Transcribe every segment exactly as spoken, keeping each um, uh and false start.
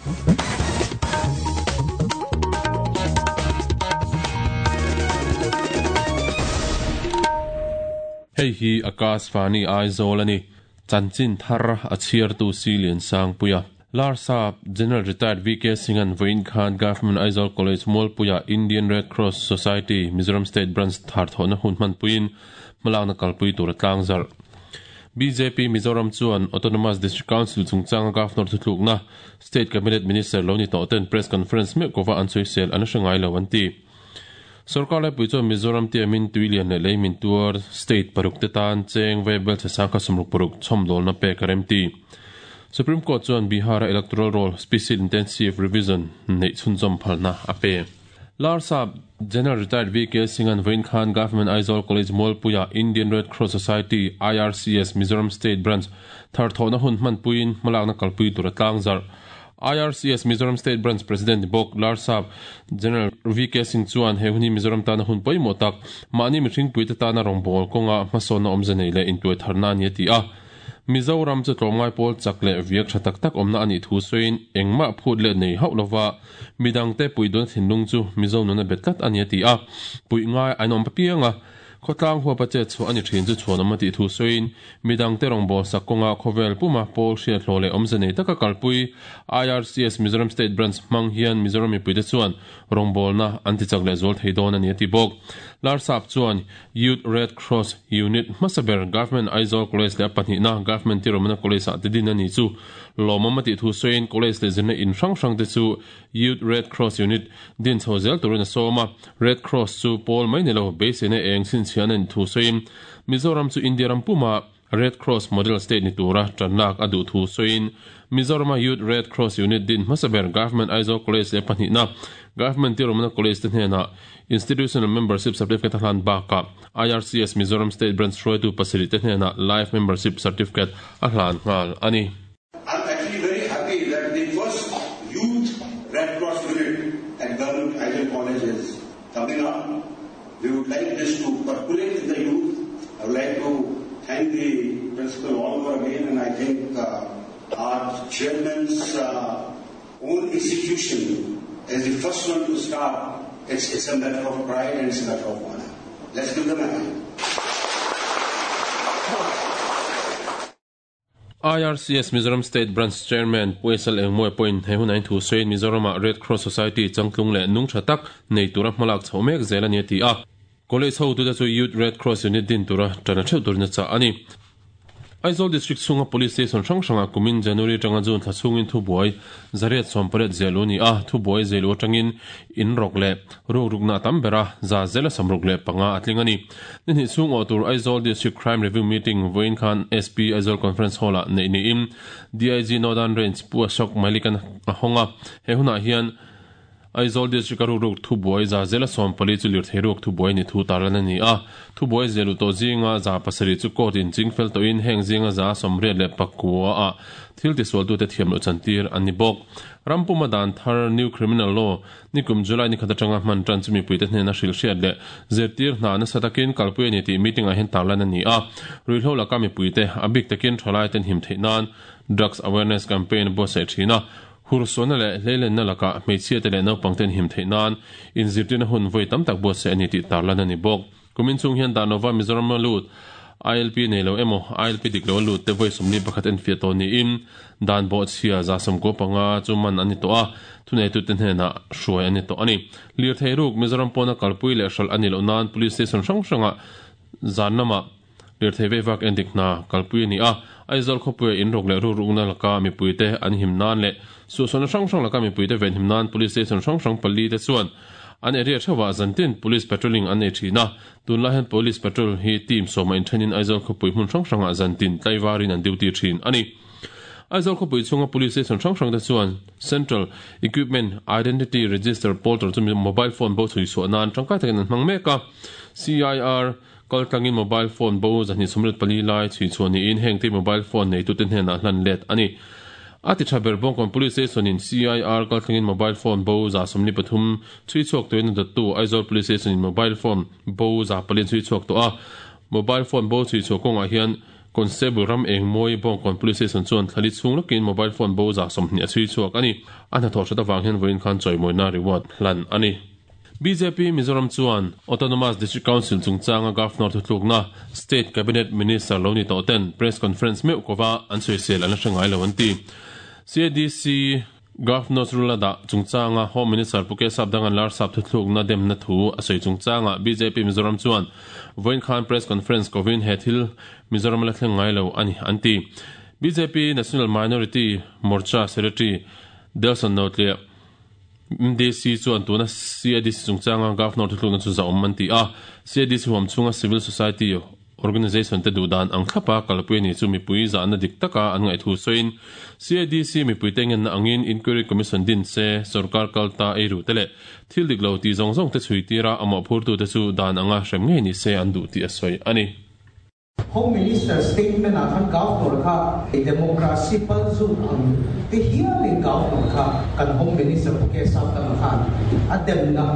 Hei hi Akashvani Aizawl ani chanchin thar a chhiar tu Silian Sangpuia Larsap General Retired V K Singh an Vain Khan Government Aizawl College Mualpuia Indian Red Cross Society Mizoram State Branch thar thona hun man puin malakna kalpui tur tlangzar B J P Mizoram chuan Autonomous District Council chungchang Governor thutlukna State Cabinet Minister Loni Toten press conference me kova an soisel an hrangai lo an ti Sarkar lai pui chuan Mizoram te min tuilian le leimin tuar state paruk te tan cheng veibel che sangkha sumruk paruk chhomdol na pe karem ti Supreme Court chuan Bihar Electoral Roll Special Intensive Revision nei chhunzawm phalna a pe Larsap General Retired V K Singh an Vain Khan Government Aizawl College Mualpuia Indian Red Cross Society I R C S Mizoram State Branch thar thona hun man puin malakna kalpui tur tlangzar I R C S Mizoram State Branch President Bok Larsap General V K Singh chuan he huni Mizoram tana hun poimo tak mani mihring puite tana rongbol konga hmasona awmze le intuai tharna ni ti a Mizoram chu tlawmngai pawl chak leh viak tha tak tak awmna ani thu sawiin engmah phut leh nei hauh lova midang te pui dawn thinlung chu Mizo nuna bet tlat ani ti a pui ngai an awm papianga khawtlang huapa che chu ani thin chu chhuan awm ti thu sawiin midang te rawngbâwl sak kawnga khawvel puma pawl hriat hlawh leh awmze nei taka kalpui I R C S Mizoram State Branch hmang hian Mizoram mipuite chuan rawngbawlna an ti chak leh zual thei dawn ani a ti bawk Larsap chuan Youth Red Cross Unit hmasaber Government Aizawl College leh pahnihna Government Tirumana College ah te din ani chu lawmawm a tih thu sawiin college leh zirna in hrang hrang te chu Youth Red Cross Unit din chho zel turin a sawm a Red Cross chu pawl mai ni lo beiseina eng chhinchhian an thu sawiin Mizoram chu India ram puma Red Cross Model State ni tura tanlak a duh thu sawiin Mizoram Youth Red Cross Unit din hmasaber Government Aizawl College leh pahnihna Government Tirumana College te hnenah Institutional Membership Certificate hlan baka I R C S Mizoram State Branch hruaitu pasarih te hnenah Life Membership Certificate a hlan nghal ani. I'm actually very happy that the first Youth Red Cross Unit at Government Aizawl College is coming up. We would like this to percolate in the youth. I would like to thank the principal all over again, and I think uh, our chairman's uh, own institution is the first one to start. It's, it's a matter of pride and it's a matter of honor. Let's give them a hand. I R C S Mizoram State Branch Chairman Puesal Engmoi Point he hunain thu sawiin Mizoram Red Cross Society changtlung leh nung tha tak nei tura hmalak chho mek zel ani ti a College ho tu te chu Youth Red Cross Unit din tura tana theuh turna cha ani Aizawl District chhunga Police Station hrang hranga kumin January tanga June thla chhungin thubuai zariat sawmparet zelu ni a thubuai zelu atangin in rok leh ruk rukna tam bera za zela samruk leh panga atling ani ni hnih chhung aw tur Aizawl District Crime Review Meeting vawiin khan S P Aizawl Conference Hall ah nei niin D I G Northern Range Pu Ashok Malikan a hawnga he hunah hian Aizawl District a ruk ruk thubuai za zela sawmpali chu lirthei ruk thubuai ni thu tarlan ani a thubuai zelu to zinga za pasarih chu court in chingfel tawhin heng zinga za sawmriat leh pakua a thil tisual tu te thiam loh chantir ani bawk rampuma dan thar new criminal law nikum July ni khat atanga hman tan chu mipui te hnena hril hriat leh zirtir hna nasa takin kalpui ani tih meeting ah hian tarlan ani a ruihhlo laka mipui te a bik takin thalai ten him theih nan drugs awareness campaign buatsaih thin a hursona le hleilen na laka hmeichhia te leh naupang ten him theih nan inzirtirna hun vawi tam tak buatsaih ani tih tarlan ani bawk kumin chung hian Danova Mizoram lut I L P nei lo emaw I L P dik lo lut te vawi sawmli pakhat en fiah tawh niin dan bawh chhia za sawmkaw panga chu man ani tawh a thunei tu te hnenah hruai ani tawh ani lirthei ruk Mizoram pawna kalpui leh hral ani loh nan police station hrang hranga zan lamah lirthei veivak en dik hna kalpui ani a Aizawl khawpuia in ruk leh ruk rukna laka mipui te an him nan leh suhsawna hrang hrang laka mipui te ven him nan police station hrang hrang pali te chuan an area thewa zantin police patrolling an nei thina tunlai hian police patrol hi team sawma in thenin Aizawl khawpui hmun hrang hrangah zantin tlaivarin an duty thin ani Aizawl khawpui chhunga police station hrang hrang te chuan Central Equipment Identity Register portal chu mobile phone bo chui chhuah nan tangkai takin an hmang mek a C I R kaltlangin mobile phone bo zahnih sawmriat pali lai chui chhuah niin heng te mobile phone nei tu te hnenah hlan let ani ati thaber bawngkawn police station in C I R kaltlangin mobile phone bo za sawmli pathum chui chhuak tuin datu Aizawl police station in mobile phone bo za pali chui chhuak tawh a mobile phone bo chui chhuah kawngah hian Constable Ram Engmawi Bawngkawn Police Station chuan thlali chhung lawkin mobile phone bo za sawmhnih a chhui chhuak a ni. A hnathawh hrat avang hian vawiin khan chawimawina reward hlan a ni. B J P Mizoram chuan Autonomous District Council chungchanga Governor thutlukna State Cabinet Minister lo ni tawh ten press conference meuh kova an sawisel an la hre ngai lo an ti. C A D C Governor's rule da chungchanga Home Minister Pu K Sapdangan lar sap thutlukna demna thu a sawi chungchanga B J P Mizoram chuan vawiin khan press conference kovin he thil Mizoram la thleng ngai lo ani an ti. B J P National Minority Morcha Secretary Delson Notlia M D C chuan tuna C A D C chungchanga Governor thutlukna chu za awm an ti a. C A D C huam chunga Civil Society Organization te duhdan ang thlapa kalpui ni chu mipui zahna dik taka an ngaih thu sawiin C A D C mipui te ngenna angin Inquiry Commission din se sarkar kalta ei ru te leh thil dik lo ti zawng zawng te chhui tira amah phurtu te chu dan anga hrem ngei ni se an duh tih a sawi a ni. Home Minister statement ah khan Governor kha democracy palzut ang te hialin Governor kha kan Home Minister Pu K Sapdanga khan a demna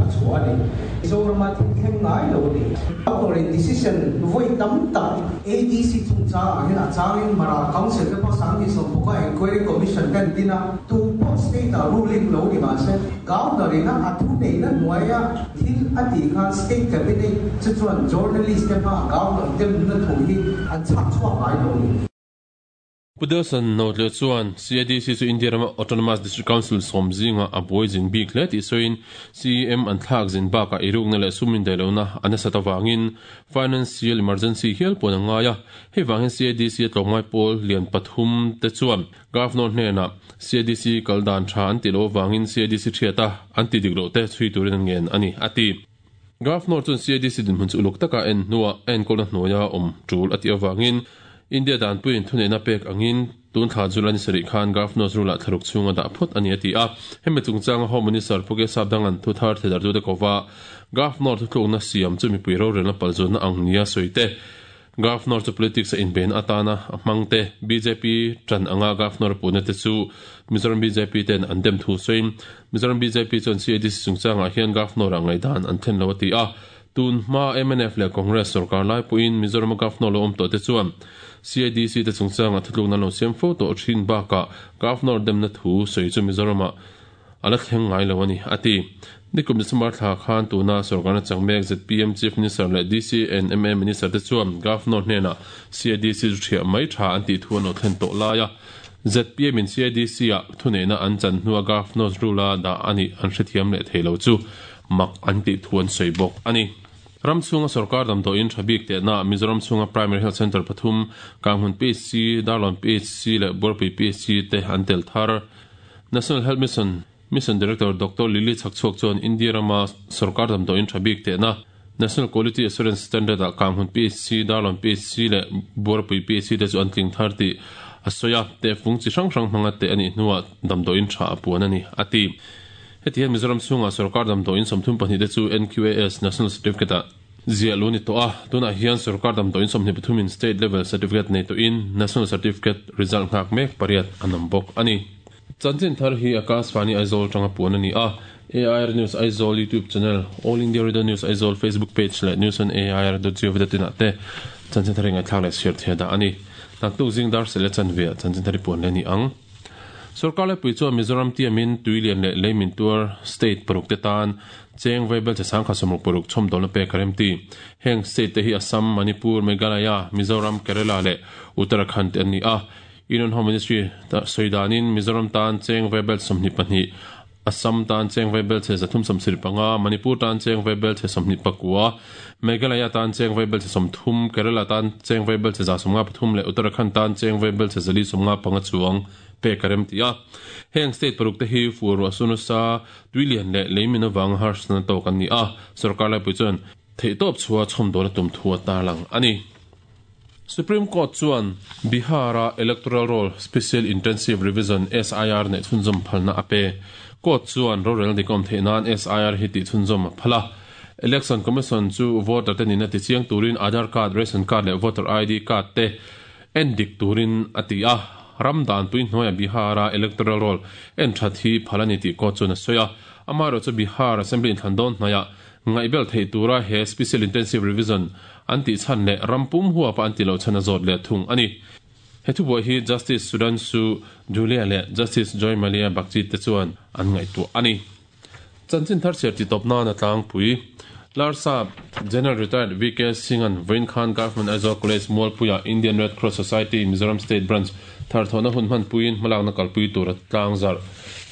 a chhuah a ni. Mizorama thil thleng ngai lo a ni. Governor in decision vawi tam tak A D C chungchang ah hian a changin Mara Council te pawh sang ni sawm bawk a Inquiry Commission ten din a tu pawh state ah ruling lo ni mahse Governor in a thu neihna hnuaia thil a tih khan State Cabinet chu chuan journalist te hma Governor demna thu hi an chhak chhuak ngai lo ni. Pu Delson Notle chuan C A D C chu India rama Autonomous District Council sawm zinga a buai zin bik hle tih sawiin C M an thlak zin bakah irukna leh sumin dailona an nasa tawangin financial emergency hial pawn a ngai a. Hei vangin C A D C a tlawmngai pawl lian pathum te chuan Governor hnenah C A D C kaldan tha an ti lo wangin C A D C thiata an ti dik lo te chhui turin an ngen ani ati. Governor chuan C A D C din hmun chu uluk taka en hnuah en kawlna hnuaia awm tul ati awangin India dan puin thuneihna pek angin tun thla July sarih khan Governor's rule ah thlaruk chhunga dah phawt ani a ti a. Hemi chungchanga Home Minister Pu K Sapdangan thu thar thedar tu te kova Governor thutlukna siam chu mipui rorelna palzutna ang nia sawi te. Governor chu politics a inben atana a hmang te B J P tran anga Governor puna te chu Mizoram B J P ten an dem thu sawiin Mizoram B J P chuan C A D C chungchangah hian Governor a ngaidan an thlen lo a ti a. Tun hma M N F leh Congress sarkar lai puin Mizoram Governor lo awm tawh te chuan C A D C te chungchanga thutlukna lo siam fo tawh thin bakah Governor demna thu sawi chu Mizorama ala thleng ngai lo ani ati. Nikum December thla khan tuna sarkarna changmek Z P M Chief Minister leh D C and M A Minister te chuan Governor hnenah C A D C chu thiah mai tha an tih thu an lo thlen tawh lai a. Z P M in C A D C ah thuneihna an chan hnua Governor's rule a dah ani an hrethiam leh thei lo chu mak an tih thu an sawi bawk ani. Ram chhunga sarkar damdawiin tha bik tehna Mizoram chhunga Primary Health Center pathum Kanghmun P H C, Darlawn P H C leh Buarpui P H C te an tel thar. National Health Mission Mission Director Doctor Lily Chhakchhuak chuan India rama sarkar damdawiin tha bik tehna National Quality Assurance Standard ah Kanghmun P H C, Darlawn P H C leh Buarpui P H C te chu an tling thar tih a sawi a. Te fung chi hrang hrang hmanga te ani hnuah damdawiin tha a puan ani ati. Heti hian Mizoram chhunga sarkar damdawiin sawmthum pahnih te chu N Q A S National Certificate ah ziah lo ni tawh a. Tunah hian sarkar damdawiin sawmhnih pathumin State Level Certificate nei tawhin National Certificate result nghak mek pariat an awm bawk ani. Chanchin thar hi Akashvani Aizawl tanga puan ani a. A I R News Aizawl YouTube channel, All India Radio News Aizawl Facebook page leh news on A I R dot gov dot in ah te chanchin thar hi ngaihthlak leh share thei dah ani. Naktuk zing dar sele chanvia chanchin thar hi puan le ni ang. Sarkar le pui chuan Mizoram tiamin Tuilian leh Leimin Tuar State paruk te tan cheng vaibel che sangkha sawmruk paruk chhawm dawlna pek a rem ti. Heng state te hi Assam, Manipur, Meghalaya, Mizoram, Kerala leh Uttarakhand te an ni a. Union Home Ministry sawidanin Mizoram tan cheng vaibel sawmhnih pahnih, Assam tan cheng vaibel che zathum sawmsarih panga, Manipur tan cheng vaibel che sawmhnih pakua, Meghalaya tan cheng vaibel che sawmthum, Kerala tan cheng vaibel che za sawmnga pathum leh Uttarakhand tan cheng vaibel che zali sawmnga panga chuang pek a rem ti a. Heng state paruk te hi fur asunusa Tuilian leh Leimin awang harsna tawk an ni a. Sarkar lai pui chuan theihtawp chhuah chhawm dawlna tum thu a tarlang ani. Supreme Court chuan Bihara Electoral Roll Special Intensive Revision S I R nei chhunzawm phalna a pe. Court chuan rorel dik awm theih nan S I R hi tih chhunzawm a phala. Election Commission chu voter te nina ti chiang turin Aadhaar card, ration card leh voter I D card te en dik turin a ti a. Ram dan pui hnuaia Bihara Electoral Roll en that hi phalani tih court chuan a sawi a. Amaro chu Bihar Assembly in thlan dawn hnuaia Ngai bel thei tura he special intensive revision an ti chan le rampum huwa pa an ti lo chana zot le thung ani. He thu bo hi Justice Sudhanshu Dhulia le Justice Joy Malia Bagchi te chuan an ngai tu ani. Chanchin thar cher ti topna na tlang pui. Larsa General Retired V K Singh an Vain Khan Government Aizawl College Mualpuia Indian Red Cross Society Mizoram State Branch thar thona hun man puin malak na kalpui tur tlang zar.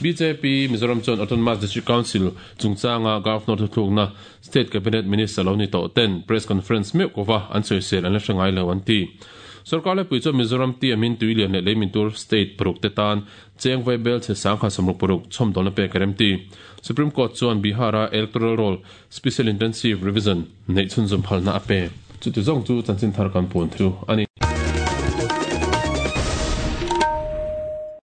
B J P Mizoram chuan Autonomous District Council chungchanga Governor thuthlukna State Cabinet Minister lo ni to ten press conference meu kova an soisel an la hrangai lo an ti. Sarkar le pui chu Mizoram ti amin tuilian le leimin tur state paruk te tan cheng vai bel che sangkha samruk paruk chom dol na pe karem ti. Supreme Court chuan Bihara electoral roll special intensive revision nei chun zum phalna ape. Chu ti zong chu chanchin thar kan pun thu ani.